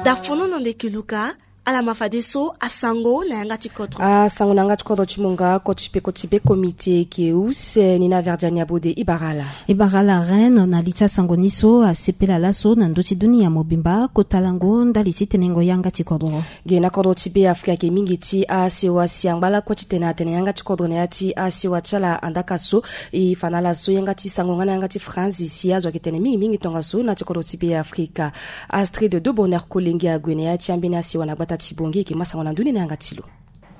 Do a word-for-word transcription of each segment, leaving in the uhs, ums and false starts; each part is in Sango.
Dafono na ndeke Luka. Ala ma fadeso asango na yanga ti kodro. Asango na yanga ti kodro ti mo nga koti pe koti be komite eke use ni na Verdiane Abode. Ibara ala. Ibara ala Reine, na li ti asango ni so asepela laso na ndö ti dunia mobimba kota lango ndali ti tenengo yanga ti kodro. Ge na kodro ti Be Afrika ayeke mingi ti asewa si angba lakue titene atene yanga ti kodro na ya ti asewa ti ala. Andaka so e fa na ala so yanga ti sango nga na yanga ti Franzi si azo ayeke tene mingi mingi tongaso na ti kodro ti Be Afrika. Astrid de Bonheur Kolenge ague na ya ti ambeni asewa na gbata ti Bongi, e yeke ma sango na ndö ni na yanga ti lo.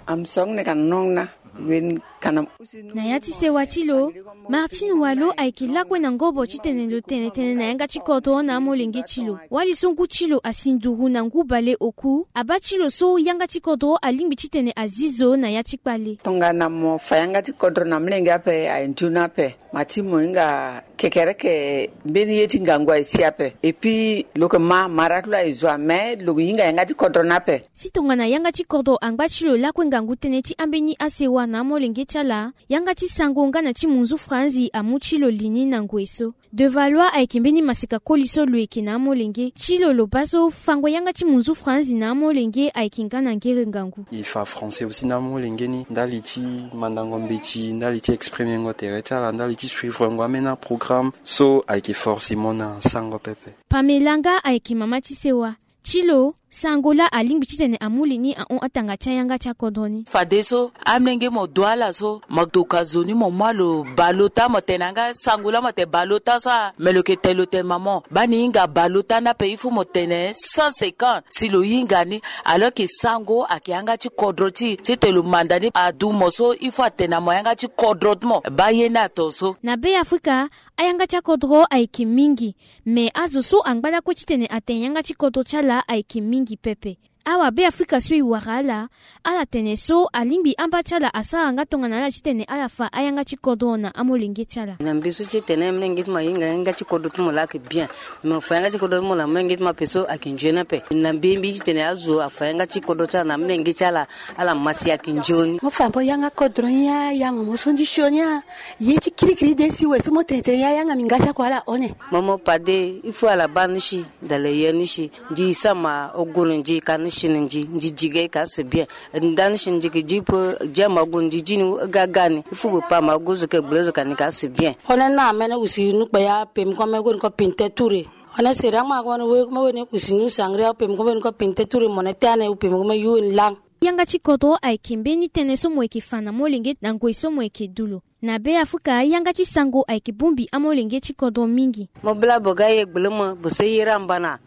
Am song ne kan nong na wen kanam. Na ya ti sewa ti lo, Martine Walo ayeke lakue na ngobo titene lo tene tënë na yanga ti kodro na amolenge ti lo. Wali so ngu ti lo asi nduru na ngu bale oku, abaa ti lo so yanga ti kodro alingbi titene azi zo na ya ti kpale. Tongana mo fa yanga ti kodro na molenge ape, aye nzoni ape. Ma ti mo hinga kekereke mbeni ye ti ngangu aye si ape. Et puis lo yeke ma mara ti lo aye zo ame, lo hinga yanga ti kodro ni ape. Si tongana yanga ti kodro angba ti lo lakue ngangu tënë ti ambeni asewa na amolenge ti ala, yanga ti sango nga na ti munzu Franzi amu ti lo li ni na ngoi so. De Valois ayeke mbeni maseka koli so lo yeke na amolenge ti lo, lo baa so fango yanga ti munzu Franzi na amolenge ayeke nga na ngere ngangu. E fa français aussi na amolenge ni ndali ti mandango mbeti, ndali ti exprimengo tere ti ala, ndali ti suivrengo ambeni aprogramme so ayeke forcément na sango pepe. Pamela nga ayeke mama ti sewa. Ti lo, sango laa alingbi titene amu li ni ahon atanga ti ayanga ti akodro ni. Fadeso amolenge mo du ala so, mo doka zo ni mo mu alo bale ota, mo tene yanga sango laa mo tene bale ota so a, me lo yeke tene lo tene mama, baa ni hinga bale ota ni ape, il faut mo tene cent cinquante si lo hinga ni. Alors que sango ayeke yanga ti kodro ti e, titene lo manda ni adu mo so, il faut atene na mo yanga ti kodro ti mo, baa ye ni ato so. Na Be Afrika, ayanga ti akodro ayeke mingi. Me azo so angba lakue titene atene yanga ti kodro ti ala ayeke mingi pepe. Awa Be Afrika so e wara ala, ala tene so alingbi amba ti ala asara nga tongana ala titene ala fa ayanga ti kodro na amolenge ti ala. Na mbi so ti e tene amolenge ti mo ahinga yanga ti kodro ti mo laa ayeke bien. Me mo fa yanga ti kodro ti mo na amolenge ti mo ape so ayeke nzoni ape. Na mbi mbi titene azo afa yanga ti kodro ti ala na amolenge ti ala, ala ma si ayeke nzoni. Mo fa mo yanga kodro ni a, yanga mo so ndi sioni a. Ye ti kirikiri de si we so mo tene tene ya yanga mi nga ti ako ala one. Mo mo pade, il faut ala baa ni si, dala ye ni si, ndi sama ogo ni ndi ka ni si ni ndi, ndi di ge ka c'est bien. Nda ni si ndi ki di pe, di ama ogo ndi di ni ga ga ni, il faut pe pa ama ogo zo ke gbele zo ka ni ka c'est bien. One na mene usi nu kpe ya pe mi ko me go ni ko pinte ture. One seri ama ko ni we ko me we ni usi nu sangria pe mi ko me ni ko pinte ture mo ne te ane pe mi ko me yu ni lang. Yanga ti kodro ayeke mbeni tënë so mo yeke fa na molenge na ngoi so mo yeke du lo. Na Be Afrika, yanga ti sango ayeke bongbi amolenge ti kodro mingi. Mo bla bo ga ye gbele mo, bo so ye ra mbana.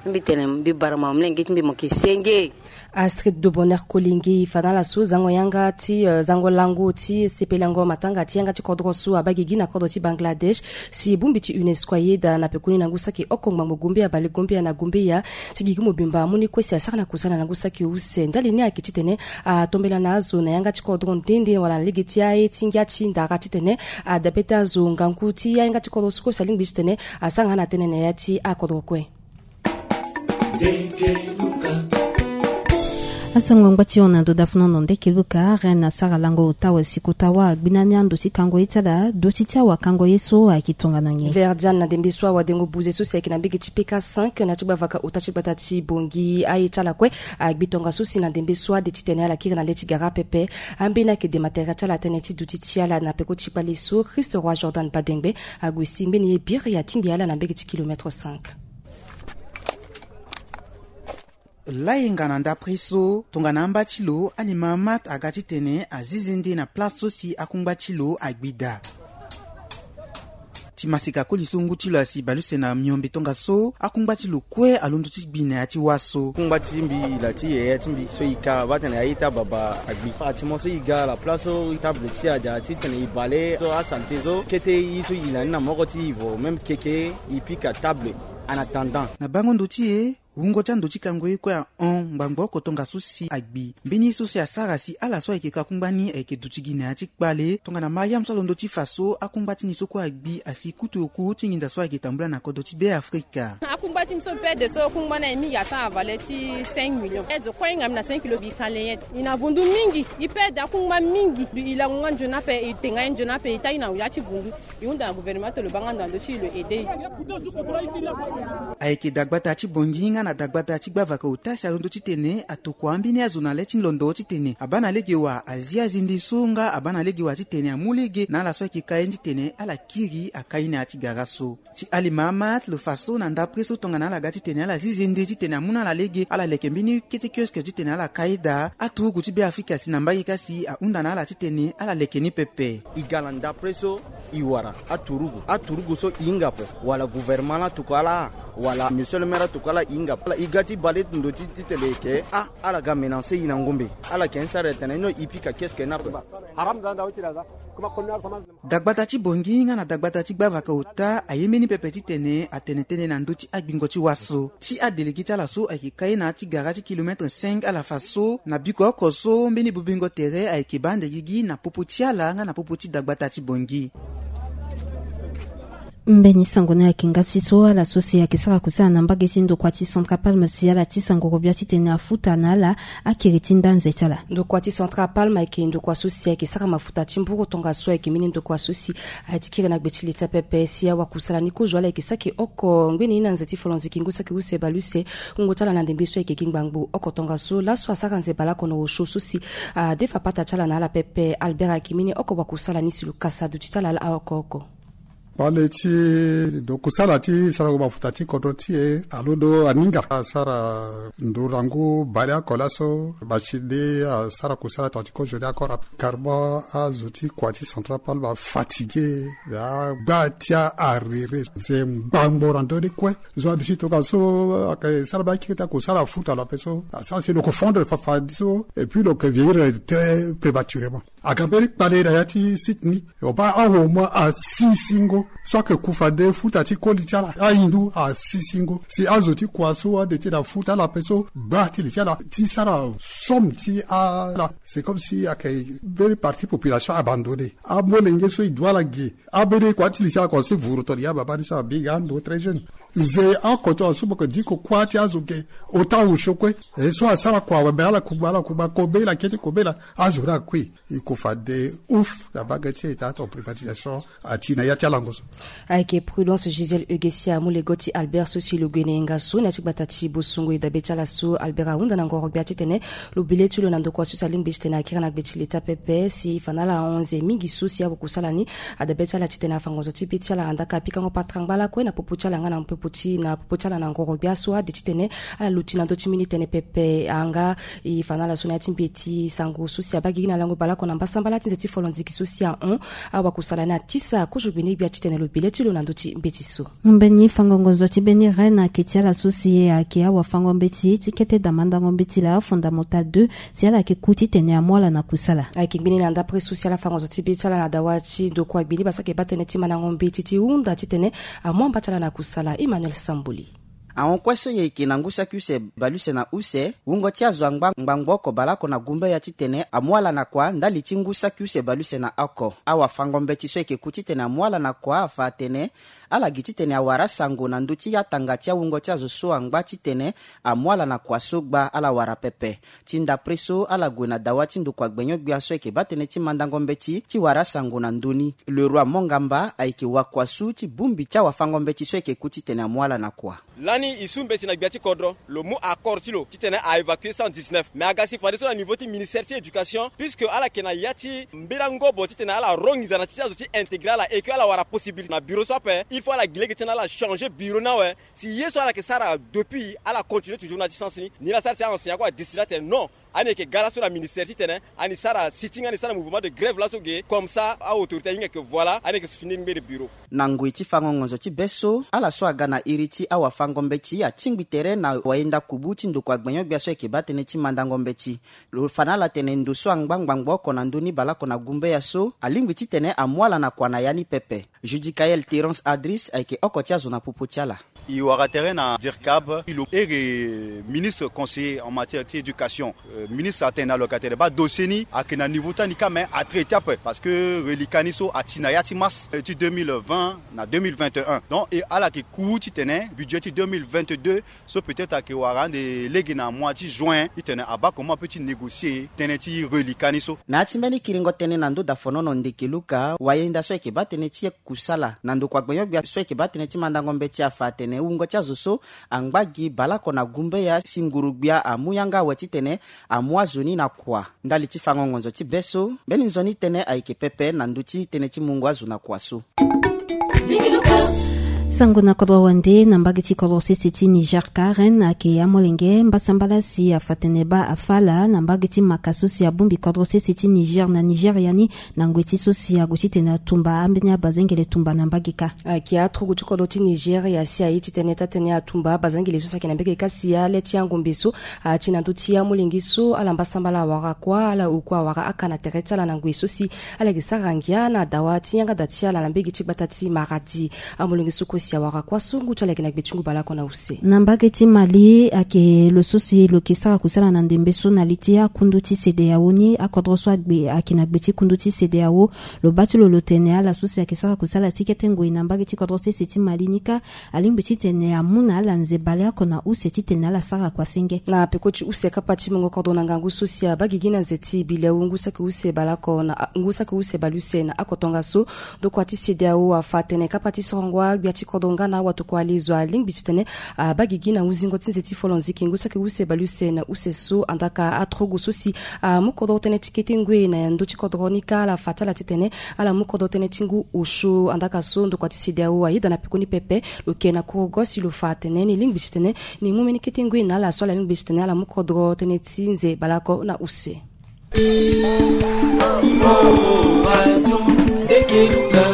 Mbi tene mbi bara mo amolenge ti mbi mo yeke senge. Astrid de Bonheur Kolenge e fa na ala so zango yanga ti, eh, zango lango ti sepelango matanga ti yanga ti kodro so abaa gigi na kodro ti Bangladesh, si bongbi ti UNESCO ayeda na pekoni na ngu saki oko ngbangbo gombeya bale gombeya na gombeya, ti gigi mobimba amu ni kue si asara na kusala na ngu saki use. Ndali ni ayeke titene atombela na azo na yanga ti kodro nde nde wala na lege ti aye ti ngia ti ndara titene adabe ti azo ngangu ti yanga ti kodro so kue si alingbi titene asara nga na tënë na ya ti akodro kue. Asango ngba ti hon na ndo dafuna ndo ndeke luka, Reine asara lango ota wa si kota wa agbina ni ando ti kango ye ti ala, doti ti awakango ye so ayeke tongana nyen? Verdiane na ndembe so awadengo buze so si ayeke na mbege ti P K cinq na ti gbavaka ota ti gbata ti Bongi aye ti ala kue agbi tongaso si na ndembe so ade titene ala kiri na le ti gara pepe. Ambeni ayeke de matériel ti ala tënë ti duti ti ala na peko ti kpale so Christ Roi Jordan Badengbe ague si mbeni ye biri atingbi ala na mbege ti kilomètre cinq. Layenga na ndapre so tongana amba ti lo Ali Mahamat aga titene azizi nde na place so si akungba ti lo agbi daa. Ti masika koli so ngu ti lo asi bale use na miombe tongaso akungba ti lo kue alondo ti gbi na ya ti wâ so. Kungba ti mbi ila ti yaya ti mbi so e ka baa tene aye ti ababa agbi. Ati mo so e ga la place so table ti e adia titene e bale so asalite so kete ye so e yila ni na moko ti e vo même keke e pika table. En attendant. Na bango ndo ti e, Wungo ti ando ti kango ye kue ahon ngbangbo oko tongaso si agbi. Mbeni ye so si asara si ala so ayeke ka kungba ni ayeke duti gi na ya ti kpale tongana Mariam so alondo ti fa so akungba ti ni so kue agbi asi kutu oku ti nginza so ayeke tambula na kodro ti Beafrika. Akungba ti mbi so pede so kungba na e mingi atanga valeur ti cinq millions. E zo kue hinga mbi na cinq kilo bi kale ye. E na vundu mingi. E pede akungba mingi. E lango nga nzoni ape, e tenga ye nzoni ape, e tayi na ya ti vundu. E hunda na gouvernement ti lo baa nga ndo ando ti e lo aide e. Ayeke dagbata ti Bongi nga na dagbata ti gbavaka ota si alondo titene atokua ambeni azo na le ti londo titene abaa na lege wa azi azende so nga abaa na lege wa titene amu lege na ala so ayeke ka ye ni titene ala kiri aka ye na ya ti gara so. Ti Ali Mahamat lo fa so na ndapre so tongana ala ga titene ala zi zende titene amu na ala lege ala leke mbeni kete kioske titene ala ka ye daa aturugu ti Beafrika si na mbage ka si ahunda na ala titene ala leke ni pepe. E ga na ndapre so e wara aturugu, aturugu so e hinga ape, wala gouvernement la tokua ala, wala monsieur le maire atokua ala e hinga ape. Ala e ga ti bale ndo ti titene e yeke a ala ga menace e na ngombe. Ala yeke ni sara tene no e pika kioske ni ape. Dagbata ti Bongi nga na dagbata ti gbavaka ota aye mbeni pepe titene atene tënë na ndö ti agbingo ti waso. Ti adélégué ti ala so ayeke ka ye na ya ti gara ti kilomètre cinq ala fa so na biko oko so mbeni bobingo tere ayeke baa ande gigi na popo ti ala nga na popo ti dagbata ti Bongi. Mbeni sango ni ayeke nga ti so ala so si ayeke sara kusala na mbage ti ndokua ti Central Palme si ala tisa ngoro gbia titene afuta na ala akiri ti ndanze ti ala. Ndokua ti Central Palme ayeke ndokua so si ayeke sara mafuta ti mburu tongaso ayeke mbeni ndokua so si aye ti kiri na gbe ti leta pepe si awakusala ni kozo ala yeke saki oko ngbeni na nze ti folonziki ngu saki use bale use. Wungo ti ala na ndembe so ayeke gi ngbangbo oko tongaso laso asara nze baleoko na osio so si adefa pata ti ala na ala pepe. Albert ayeke mbeni oko wakusala ni si lo kasa duti ti ala oko oko. Kpale ti ndo kusala ti sarango mafuta ti kodro ti e alondo aninga asara ndo na ngu baleoko laso. Machine ni asara kusala tonga ti kozo ni akora carrément azo ti kua ti Central Palme afatigué. Agba ti arere nze ngbangbo na ndö ni kue. Zo aduti tongaso ayeke sara baa akiri ti akusala afuta lo ape so asara si lo yeke fondre fafa ni so et puis lo yeke vieillir très prématurément. Aga mbeni kpale na ya ti site ni. Lo baa awo mo asi singo so ayeke ku fade futa ti koli ti ala ahindu asi singo si azo ti kua so ade ti na futa ala ape so gba ti li ti ala ti sara somme ti ala. C'est comme si ayeke mbeni partie population abandonné. Amolenge so e du ala ge. Ambeni kua ti li ti ala ko si vuru toni ya baba ni so abinga ando très jeune. Nze oko tongaso mo yeke diko kuâ ti azo ge. Ota osio kue. E so asara kua awe me ala kugba ala kugba kobela kete kobela. Azo ni akui. E ko fade ouf na mbage ti eta to privatisation ati na ya ti alango so. Ayeke Prudence Gisèle Eugesia amu lego ti Albert so si lo gue na yenga so na ya ti gbata ti Bosongo. E dabe ti ala so Albert ahunda na ngoro gbia titene lo bi le ti lo na ndokua so si alingbi titene akiri na gbe ti leta pepe si e fa na ala ahon nze mingi so si awakusala ni. Adabe ti ala titene afa ngonzo ti be ti ala andaa ka apikango patara ngba lakue na popo ti ala nga na popo ti na popo ti ala na ngoro gbia so ade titene ala luti na ndö ti mbeni tënë pepe. Anga e fa na ala so na ya ti mbeti sango so si abaa gigi na lango baleoko na mbasambala ti nze ti folonziki so si ahon. Awakusala ni atisa kozo gbene gbia titene lo bi le ti lo na ndö ti mbeti so. Mbeni fango ngonzo ti mbeni reine ayeke ti ala so si ayeke awafango mbeti ti kete damandango mbeti laa fondamota deux si ala yeke ku titene amu ala na kusala. Ayeke ngbene na ndapre so si ala fa ngonzo ti be ti ala na dawa ti ndokua gbeni basa ayeke baa tënë ti mandango mbeti ti hunda titene amu amba ti ala na kusala. Emmanuel Samboli. Ahon kue so e yeke na ngu saki use baleuse na use wungo ti azo angba ngbangbo oko baleoko na gumbe ya titene amu ala na kua ndali ti ngu saki use baleuse na oko. Awafango mbeti so e yeke ku titene amu ala na kua afa atene ala gi titene awara asango na ndö ti atanga ti awungo ti azo so angba titene amu ala na kua so gba ala wara pepe. Ti ndapre so ala gue na dawa ti ndokua gbenyo-gbia so ayeke baa tënë ti mandango mbeti ti wara asango na ndö ni. Le Roi Mongamba ayeke wakuasu ti bongbi ti awafango mbeti so ayeke ku titene amu ala na kua. Lani e su mbeti na gbia ti kodro lo mu accord ti lo titene a évacuer cent dix-neuf mais aga si fadeso na niveau ti ministère ti éducation puisque ala yeke na ya ti mbela ngobo titene ala ro nginza na ti ti azo ti intégrer ala et que ala wara possibilité na bureau so ape. Il faut ala gi lege titene ala changer bureau ni awe. Si ye so ala yeke sara depuis ala continuer toujours na ya ti sens ni ni la sara ti a enseignant kue adécide atene non. Ani yeke ga laso na ministère titene ani sara sitting ani sara mouvement de grève laso ge comme ça a autorité ahinga yeke voilà ani yeke soutenir mbere bureau. Na ngoi ti fango ngonzo ti be so ala so aga na iri ti awafango mbeti atingbi tere na wayenda kubu ti ndokua gbenyo-gbia so ayeke baa tënë ti mandango mbeti. Lo fa na ala tene ndo so angba ngbangbo oko na ndö ni baleoko na gumbe ya so alingbi titene amu ala na kua na ya ni pepe. Judicaël Terence Adris ayeke oko ti azo na popo ti ala. E wara tere na dircab, e lo ere ministre conseiller en matière ti éducation. Euh, ministre atene na lo yeke atene baa dossier ni ayeke na niveau ti ani kâ, mais atraité ape parce que reliquat ni so ati na ya ti mars, euh, ti deux mille vingt na deux mille vingt et un. Donc e ala yeke ku titene budget ti deux mille vingt-deux so peut-être ayeke wara ande lege na mois ti juin titene abaa comment ape ti négocier tënë ti reliquat ni so. Na ya ti mbeni kiringo tënë na ndö dafonono ndeke luka wayenda so ayeke baa tënë ti kusala na ndokua gbenyo-gbia so ayeke baa tënë ti mandango mbeti afa atene wungo ti azo so angba gi baleoko na gumbeya si nguru-gbia amu yanga awe titene amu azo ni na kua. Ndali ti fango ngonzo ti be so, mbeni nzoni tënë ayeke pepe na ndö ti tënë ti mungo azo na kua so. Sango na kodro wande na mbage ti kodro sese ti Niger Karen ayeke amolenge mbasambala si afa tene baa afa ala na mbage ti maka so si abongbi kodro sese ti Niger na Nigeria ni na ngoi ti so si ague titene atumba ambeni abazengele tumba na mbage kâ. Ayeke atrogo ti kodro ti Nigeria si aye titene taa-tënë atumba abazengele so si ayeke na mbage kâ si ale ti angombe so ati na ndö ti amolenge so ala mbasambala awara kuâ, ala oku awara aka na tere ti ala na ngoi so si ala yeke sara ngia na dawa ti yanga da ti ala na mbage ti gbata ti Maradi. Amolenge so kue si awara kuâ so ngu ti ala yeke na gbe ti ngu baleoko na use. Na mbage ti Mali ayeke lo so si lo yeke sara kusala na ndembe so na li ti akundu ti CEDEAO ni, akodro so agbe ayeke na gbe ti kundu ti CEDEAO. Lo baa ti lo lo tene ala so si ayeke sara kusala ti kete ngoi na mbage ti kodro sese ti Mali ni kâ alingbi titene amu na ala nze baleoko na use titene ala sara kua senge. Na peko ti use kapa ti mungo kodro na ngangu so si abaa gigi na nze ti bilewu ngu saki use baleoko na ngu saki use baleuse na oko tongaso. Ndokua ti CEDEAO afa atene kapa ti sorongo agbia ti kodro nga na awatokua lezo alingbi titene abaa gigi na huzingo ti nze ti folonziki ngu saki use baleuse na use so. Andaka atrogo so si amu kodro tënë ti kete ngoi na ndö ti kodro ni kâ ala fa ti ala titene ala mu kodro tënë ti ngu osio. Andaka so ndokua ti CEDEAO ayeda na peko ni pepe. Lo yeke na kurugo si lo fa atene ni lingbi titene ni mu mbeni kete ngoi na ala so ala lingbi titene ala mu kodro tënë ti nze baleoko na use.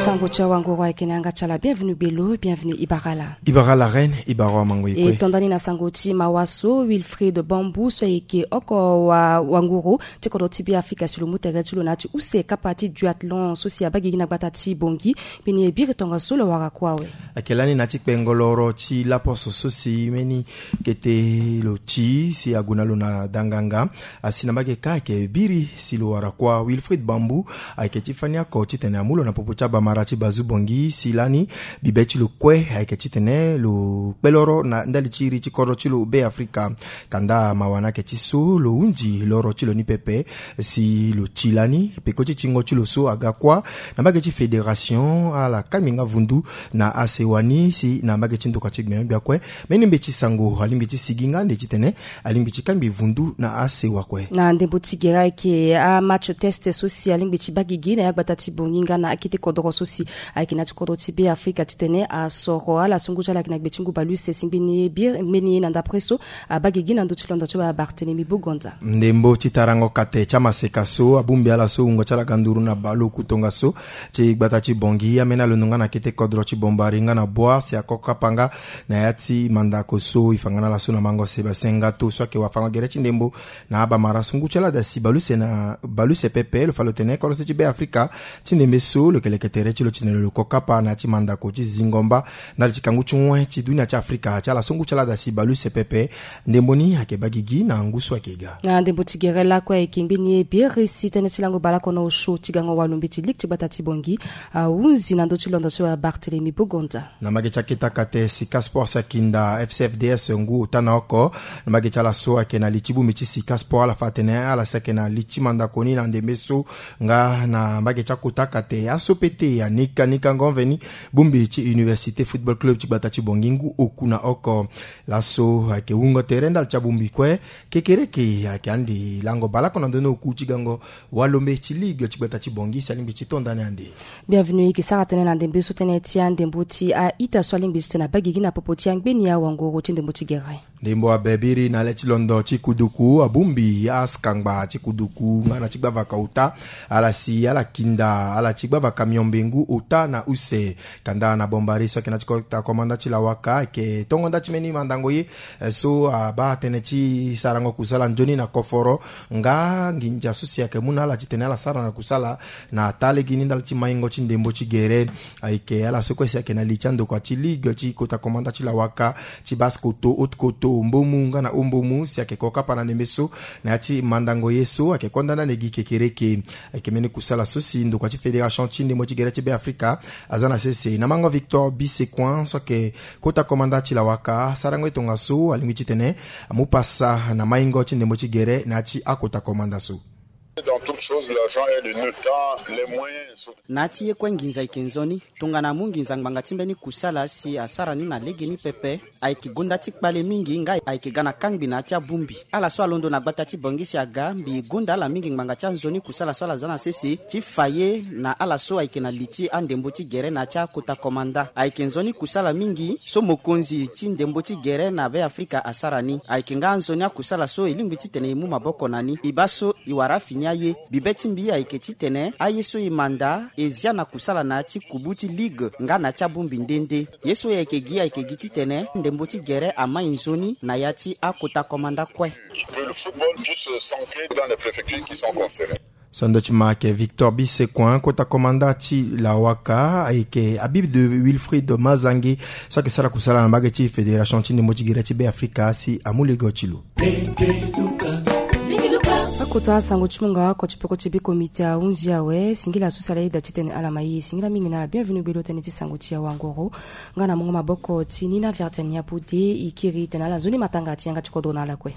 Sango ti awangoro ayeke na yanga ti ala. Bienvenu gbelo, bienvenu ibara ala. Ibara ala reine, ibara amango e kue. E tonda ni na sango ti mawa so, Wilfried Bambou so ayeke oko wa wangoro ti kodro ti Be Afrika si lo mu tere ti lo na ya ti use kapa ti duathlon so si abaa gigi na gbata ti Bangui. Mbeni e biri tongaso lo wara kue awe. Ayeke lani na ya ti kpengo loro ti laposo so si mbeni kete lo ti si ague na lo na danganga. Asi na mbage kâ ayeke biri si lo wara kua Wilfried Bambou ayeke ti fani oko titene amu lo na popo ti abamara ti Bazu Bangui si lani bibe ti lo kue ayeke titene lo kpe loro na ndali ti iri ti kodro ti lo Be Afrika. Kanda mawa ni ayeke ti so lo hunzi loro ti lo ni pepe si lo ti lani peko ti tingo ti lo so aga kuâ na mbage ti fédération ala kangbi nga vundu na asewa ni si na mbage ti ndokua ti gbenyo-gbia kue. Mbeni mbeti sango alingbi ti sigi nga ande titene alingbi ti kangbi vundu na asewa kue. Na ndembo ti gere ayeke amatch test so si alingbi ti baa gigi na ya gbata ti Bangui nga na akete kodro so si ayeke na ya ti kodro ti Be Afrika titene asoro ala so ngu ti ala ayeke na gbe ti ngu baleuse si mbeni ye biri mbeni ye na ndapre so abaa gigi na ndö ti londo ti Barthélemy Bogonda. Ndembo ti tarango kate ti amaseka so abongbi ala so wungo ti ala ga nduru na baleoku tongaso ti gbata ti Bangui ameni alondo nga na kete kodro ti Bombari nga na Boa si ako kapa nga na ya ti mandako so e fa nga na ala so na mango Sébastien Ngato so ayeke wafango gere ti ndembo na abamara so ngu ti ala da si baleuse na baleuse pepe lo fa lo tene kodro se ti Be Afrika ti ndembe so lo yeke leke tere ti lo titene lo ko kapa na ya ti mandako ti zingo mba ndali ti kangu ti wen ti dunia ti Afrika ti ala so ngu ti ala da si baleuse pepe. Ndembo ni ayeke baa gigi na ngu so ayeke ga. Na ndembo ti gere lakue ayeke mbeni ye biri si tënë ti lango baleoko na osio ti gango walo mbeti ligue ti gbata ti Bangui ahunzi na ndö ti londo ti Barthélemy Bogonda. Na mbage ti akete akate Sika Sport si akinda F C F D S ngu ota na oko. Na mbage ti ala so ayeke na li ti bongbi ti Sika Sport ala fa atene ala si ayeke na li ti mandako ni na ndembe so nga na mbage ti akota akate aso pete anika nika ngomveni bongbi ti Université Football Club ti gbata ti Bangui ngu oku na oko. Laso ayeke wungo tere ndali ti abongbi kue. Kekereke ayeke ande lango baleoko na ndö ni oku ti gango walombe ti ligue ti gbata ti Bangui si alingbi ti to ndani ande. Bienvenu e yeke sara tënë na ndembe so tënë ti andembo ti a-ita so alingbi titene abaa gigi na popo ti angbeni awangoro ti ndembo ti gere. Ndembo abebiri na le ti londo ti kuduku abumbi askangba ti kuduku nga na ti gbavaka ota, ala si ala kinda ala ti gbavaka miombe ngu ota na use. Kanda na bombari so ayeke na ti kota komanda ti lawaka ayeke tongo nda ti mbeni mandango ye, eh, so abaa tënë ti sarango kusala nzoni na koforo nga nginza so si ayeke mu na ala titene ala sara na kusala na taa lege ni ndali ti maingo ti ndembo ti gere. Ayeke ala so kue si ayeke na li ti andokua ti ligue ti kota komanda ti lawaka, ti basse koto, haute koto, mbomu nga na ombomu si ayeke ko kapa na ndembe so na ya ti mandango ye so ayeke konda na negi kekereke. Ayeke mbeni kusala so si ndokua ti fédération ti ndembo ti gere ti Beafrika aza na sese na mango Victor Bisecoin so ayeke kota komanda ti lawaka, sarango ye tongaso alingbi titene amu pasa na maingo ti ndembo ti gere na ya ti akota komanda so. Dans toute chose, l'argent est le nœud. Quand les moyens sont... Na ya ti ye kue nginza ayeke nzoni. Tongana amu nginza ngbanga ti mbeni kusala si asara ni na legeni pepe, ayeke gonda ti kpale mingi nga ayeke ga na kangbi na ya ti abongbi. Ala so alondo na gbata ti Bangui si aga mbi gonda ala mingi ngbanga ti anzoni kusala so ala za na sese ti fa ye na ala so ayeke na li ti andembo ti gere na ya ti akota komanda. Ayeke nzoni kusala mingi so mokonzi ti ndembo ti gere na Beafrika asara ni. Ayeke nga anzoni akusala so e lingbi titene e mu maboko na ni. E baa so e wara afini aye. Bibe ti mbi ayeke titene aye so e manda e zia na kusala na ya ti kubu ti ligue nga na ya ti abongbi nde nde. Ye so e yeke gi ayeke gi titene ndembo ti gere amai nzoni na ya ti akota komanda kue. Que le football puisse s'ancrer dans les préfectures qui sont concernées. So ndo ti ma ayeke Victor Bisecoin, kota komanda ti lawaka, ayeke Habib de Wilfried Mazangi so ayeke sara kusala na mbage ti fédération ti ndembo ti gere ti Beafrika si amu lege ti lo. Akota sango ti mungo oko ti peko ti bi komite ahunzi awe. Singila so si ala yeda titene ala ma e. Singila mingi na ala. Bienvenu gbelo tënë ti sango ti awangoro nga na mungo maboko ti Nina Vertenia Boude. E kiri tene ala nzoni matanga ti yanga ti kodro na ala kue.